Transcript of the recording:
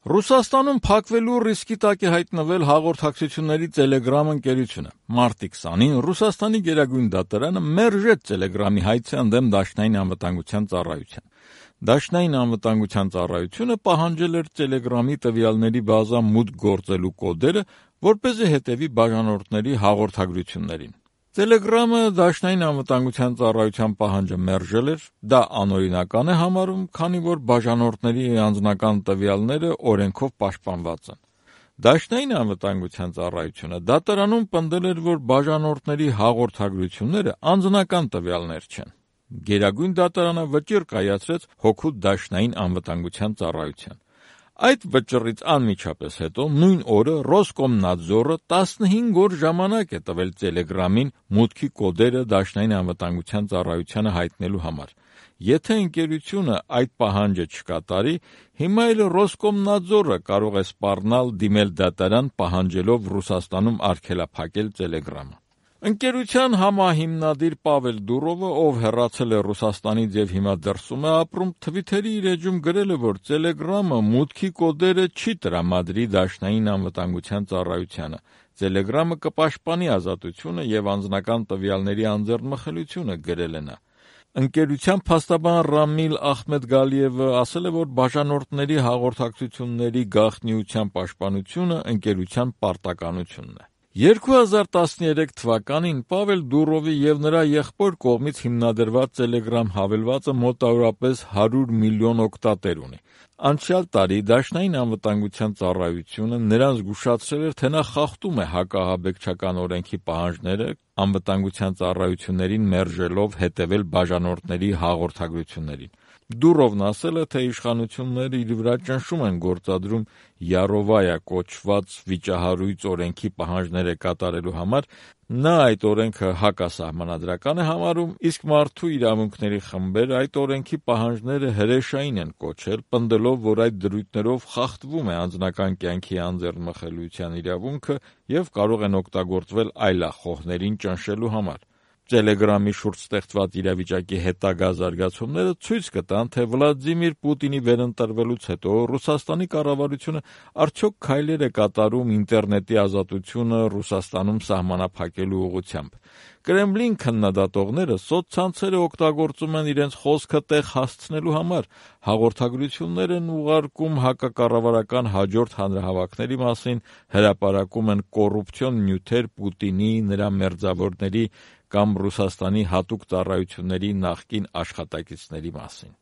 Ռուսաստանում փակվելու ռիսկի տակ է հայտնվել հաղորդակցությունների Telegram ընկերությունը։ Մարտի 20-ին Ռուսաստանի գերագույն դատարանը մերժեց Telegram-ի հայցը ընդդեմ Դաշնային անվտանգության ծառայության։ Դաշնային անվտանգության ծառայությունը պահանջել էր Telegram-ի տվյալների բազա մուտք գործելու կոդերը, որպեսզի հետևի բաժանորդների հաղորդագրություններին։ Telegram-ը Դաշնային անվտանգության ծառայության պահանջը մերժել էր, դա անօրինական է համարում, քանի որ բաժանորդների անձնական տվյալները օրենքով պաշտպանված են։ Դաշնային անվտանգության ծառայությունը դատարանում պնդել էր, որ բաժանորդների հաղորդագրությունները անձնական տվյալներ չեն։ Գերագույն դատարանը վճիռ կայացրեց հօգուտ Դաշնային անվտանգության ծառայության։ Այդ վճռից անմիջապես հետո նույն օրը Ռոսկոմնադզորը 15 օր ժամանակ է տվել Telegram-ին մուտքի կոդերը Դաշնային անվտանգության ծառայությանը հայտնելու համար։ Եթե ընկերությունը այդ պահանջը չկատարի, հիմա էլ Ռոսկոմնադզորը կարող է սպառնալ դիմել դատարան պահանջելով Ռուսաստանում արգելափակել Telegram-ը։ Ընկերության համահիմնադիր Պավել Դուրովը, ով հեռացել է Ռուսաստանից եւ հիմա դրսում է ապրում, Twitter-ի իր էջում գրել է, որ Telegram-ը մուտքի կոդերը չի տրամադրի Դաշնային անվտանգության ծառայությանը։ Telegram-ը կպաշտպանի ազատությունը եւ անձնական տվյալների անձեռնմխելիությունը, գրել է նա։ Ընկերության փաստաբան Ռամիլ Ախմեդգալիևը ասել է, որ բաժանորդների հաղորդակցությունների գաղտնիության պաշտպանությունը ընկերության պարտականությունն է։ 2013 թվականին Պավել Դուրովի եւ նրա եղբոր կողմից հիմնադրված Telegram հավելվածը մոտավորապես 100 միլիոն օգտատեր ունի։ Անցյալ տարի Դաշնային անվտանգության ծառայությունը նրան զգուշացրել էր, թե նա խախտում է հակահաբեկչական օրենքի պահանջները անվտանգության ծառայություններին մերժելով հետևել բաժանորդների հաղորդագրություններին։ Դուրովն ասել է, թե իշխանությունները իր վրա ճնշում են գործադրում Յարովայա կոչված վիճահարույց օրենքի պահանջները կատարելու համար։ Նա այդ օրենքը հակասահմանադրական է համարում, իսկ մարդու իրավունքների խմբերը այդ օրենքի պահանջները հրեշային են կոչել, պնդելով, որ այդ դրույթներով խախտվում է անձնական կյանքի անձեռնմխելիության իրավունքը եւ կարող են օգտագործվել այլախոհներին ճնշելու համար։ Telegram-ի շուրջ ստեղծված իրավիճակի հետագա զարգացումները ցույց կտան, թե Վլադիմիր Պուտինի վերընտրվելուց հետո Ռուսաստանի կառավարությունը արդյոք քայլեր է կատարում ինտերնետի ազատությունը Ռուսաստանում սահմանափակելու ուղղությամբ։ Կրեմլին քննադատողները սոցցանցերը օգտագործում են իրենց խոսքը տեղ հասցնելու համար, հաղորդագրություններ են ուղարկում հակակառավարական հաջորդ հանրահավաքների մասին, հրապարակում են կոռուպցիոն նյութեր Պուտինի, նրա մերձավորների կամ Ռուսաստանի հատուկ ծառայությունների նախկին աշխատակիցների մասին։